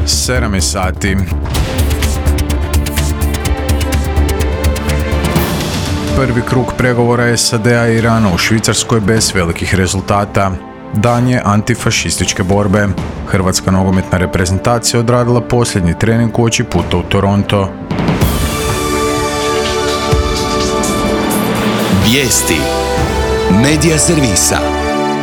7 sati. Prvi krug pregovora SAD-a i Irana u Švicarskoj bez velikih rezultata. Dan je antifašističke borbe. Hrvatska nogometna reprezentacija odradila posljednji trening uoči puta u Toronto. Vijesti Medija servisa.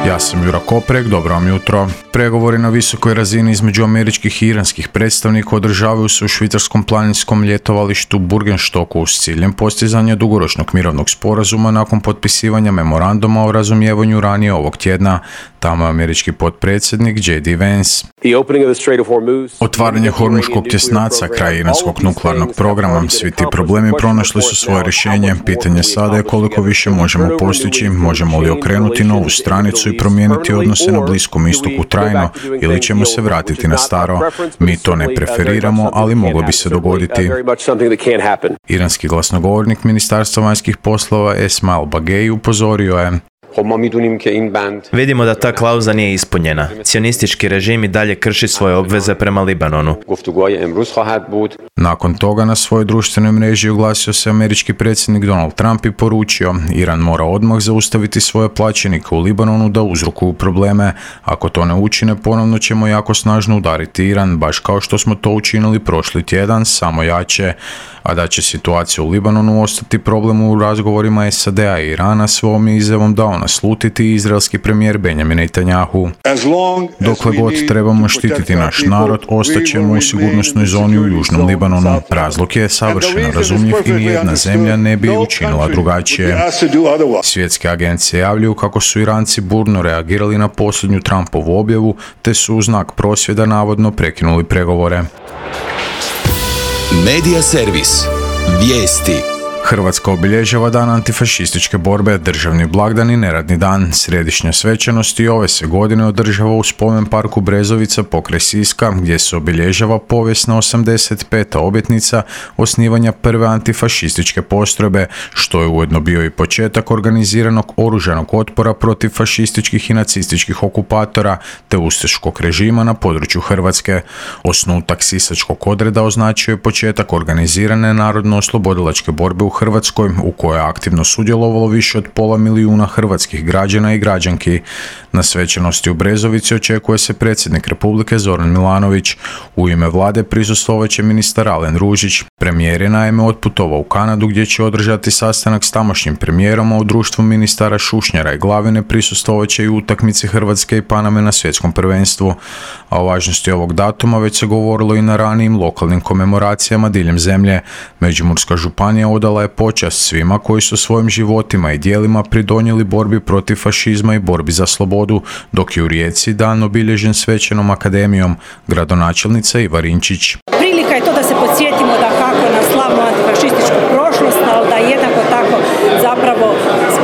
Ja sam Jura Koprek, dobro vam jutro. Pregovori na visokoj razini između američkih i iranskih predstavnika održavaju se u švicarskom planinskom ljetovalištu Burgenstoku s ciljem postizanja dugoročnog mirovnog sporazuma nakon potpisivanja memoranduma o razumijevanju ranije ovog tjedna. Tamo je američki potpredsjednik J.D. Vance. Otvaranje Hormuškog tjesnaca, kraj iranskog nuklearnog programa, svi ti problemi pronašli su svoje rješenje. Pitanje sada je koliko više možemo postići, možemo li okrenuti novu stranicu i promijeniti odnose na Bliskom istoku trajno ili ćemo se vratiti na staro. Mi to ne preferiramo, ali moglo bi se dogoditi. Iranski glasnogovornik Ministarstva vanjskih poslova Esmail Bagei upozorio je: Vidimo da ta klauza nije ispunjena. Cionistički režim i dalje krši svoje obveze prema Libanonu. Nakon toga na svojoj društvenoj mreži oglasio se američki predsjednik Donald Trump i poručio: Iran mora odmah zaustaviti svoje plaćenike u Libanonu da uzrokuju probleme. Ako to ne učine, ponovno ćemo jako snažno udariti Iran, baš kao što smo to učinili prošli tjedan, samo jače. A da će situacija u Libanonu ostati problem u razgovorima SAD-a i Irana, svom je izjavom dao naslutiti izraelski premijer Benjamin Netanyahu. Dokle god trebamo štititi naš narod, ostaćemo u sigurnosnoj zoni u južnom Libanonu. Razlog je savršeno razumljiv i nijedna zemlja ne bi učinila drugačije. Svjetske agencije javljaju kako su Iranci burno reagirali na posljednju Trumpovu objavu, te su u znak prosvjeda navodno prekinuli pregovore. Medija servis. Vijesti. Hrvatska obilježava dan antifašističke borbe, državni blagdan i neradni dan. Središnja svečanost i ove se godine održava u spomen parku Brezovica pokraj Siska, gdje se obilježava povijesna 85. obljetnica osnivanja prve antifašističke postrojbe, što je ujedno bio i početak organiziranog oružanog otpora protiv fašističkih i nacističkih okupatora te ustaškog režima na području Hrvatske. Osnutak sisačkog odreda označio je početak organizirane narodno-oslobodilačke borbe u Hrvatskoj, u kojoj je aktivno sudjelovalo više od 500.000 hrvatskih građana i građanki. Na svečanosti u Brezovici očekuje se predsjednik Republike Zoran Milanović. U ime vlade prisustvovat će ministar Alen Ružić. Premijer je naime otputovao u Kanadu, gdje će održati sastanak s tamošnjim premijerom, a u društvu ministara Šušnjara i Glavine prisustvovat će i utakmici Hrvatske i Paname na svjetskom prvenstvu. A o važnosti ovog datuma već se govorilo i na ranijim lokalnim komemoracijama diljem zemlje. Međimurska županija odala je počast svima koji su svojim životima i djelima pridonijeli borbi protiv fašizma i borbi za slobodu, dok je u Rijeci dan obilježen svečanom akademijom. Gradonačelnica Iva Rinčić. Prilika je to da se podsjetimo da kako na slavnu antifašističku prošlost, ali da jednako tako zapravo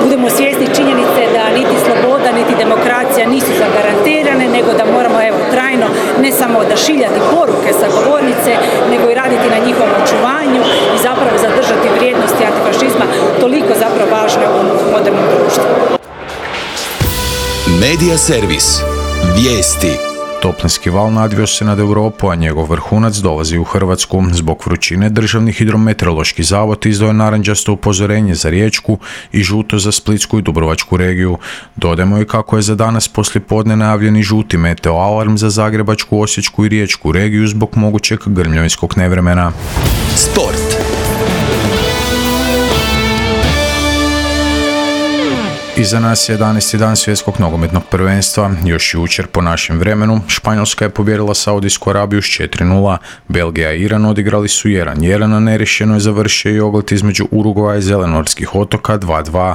budemo svjesni činjenice da niti sloboda, niti demokracija nisu zagarantirane, nego da moramo trajno ne samo odašiljati poruke sa govornice, nego i raditi na njihovom očuvanju i zapravo zadržati vrijednosti antifašizma, toliko zapravo važne u modernom društvu. Medija servis. Vijesti. Toplinski val nadvio se nad Europu, a njegov vrhunac dolazi u Hrvatsku. Zbog vrućine Državni hidrometeorološki zavod izdao je narančasto upozorenje za Riječku i žuto za Splitsku i Dubrovačku regiju. Dodajmo i kako je za danas poslijepodne najavljen i žuti meteo alarm za Zagrebačku, Osječku i Riječku regiju zbog mogućeg grmljavinskog nevremena. Sport. Iza nas je 11. dan svjetskog nogometnog prvenstva. Još jučer po našem vremenu Španjolska je pobijedila Saudijsku Arabiju s 4:0. Belgija i Iran odigrali su 1:1, a neriješeno je završio i oglet između Urugvaja i Zelenortskih otoka 2:2.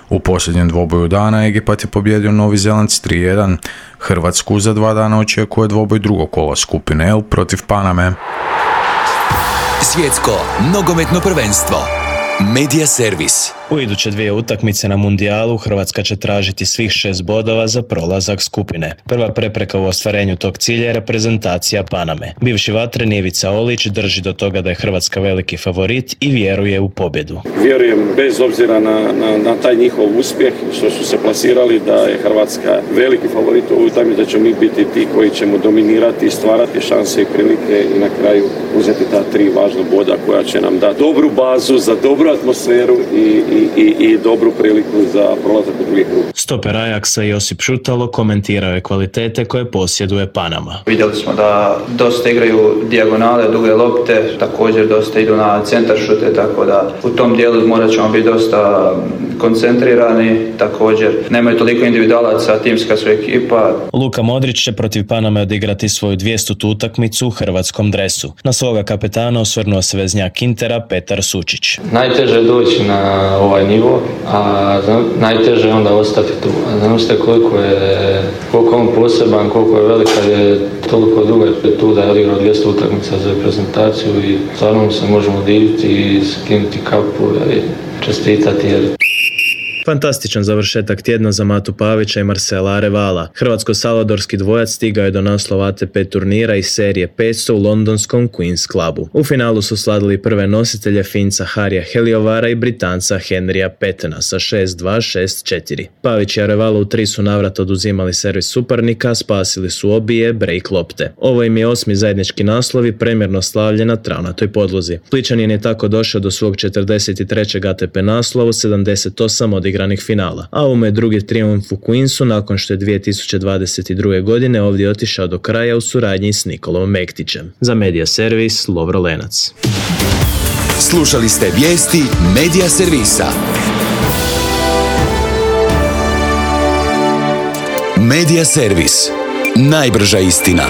U posljednjem dvoboju dana Egipat je pobijedio Novi Zeland s 3:1. Hrvatsku za 2 dana očekuje dvoboj drugog kola skupine L protiv Paname. Svjetsko nogometno prvenstvo. Medija servis. U iduće 2 utakmice na mundijalu Hrvatska će tražiti svih 6 bodova za prolazak skupine. Prva prepreka u ostvarenju tog cilja je reprezentacija Paname. Bivši vatreni Ivica Olić drži do toga da je Hrvatska veliki favorit i vjeruje u pobjedu. Vjerujem bez obzira na taj njihov uspjeh što su se plasirali da je Hrvatska veliki favorit u ovoj utakmici, da ćemo mi biti ti koji ćemo dominirati, stvarati šanse i prilike i na kraju uzeti ta 3 važna boda koja će nam dati dobru bazu za dobru atmosferu i dobru priliku za prolazak u drugi krug. Stoper Ajaxa Josip Šutalo komentirao je kvalitete koje posjeduje Panama. Vidjeli smo da dosta igraju dijagonale, duge lopte, također dosta idu na centar šute, tako da u tom dijelu morat ćemo biti dosta koncentrirani, također nemaju toliko individualaca, timska su ekipa. Luka Modrić će protiv Paname odigrati svoju 200. utakmicu u hrvatskom dresu. Na svoga kapetana osvrnuo se veznjak Intera Petar Sučić. Najteže je doći na ovaj nivo, a najteže je onda ostati tu. Znam ste koliko je on poseban, koliko je velik kad je toliko dugo tu da je odigrao 200 utakmica za reprezentaciju i stvarno se možemo diviti i skinuti kapu i čestitati jer... Fantastičan završetak tjedna za Matu Pavića i Marcela Arevala. Hrvatsko-salvadorski dvojac stigao je do naslova ATP turnira iz serije 500 u londonskom Queen's Clubu. U finalu su sladili prve nositelje Finca Harija Heliovara i Britanca Henrya Petena sa 6-2, 6-4. Pavić i Arevala u 3 su navrata oduzimali servis suparnika, spasili su obije break lopte. Ovo im je 8. zajednički naslov i premjerno slavlje na travnatoj podlozi. Splićanin je tako došao do svog 43. ATP naslovu, 78 odigranih finala, a ovo je drugi trijumf u Queensu nakon što je 2022. godine ovdje otišao do kraja u suradnji s Nikolom Mektićem. Za Media Servis, Lovro Lenac. Slušali ste vijesti Media Servisa. Media Servis. Najbrža istina.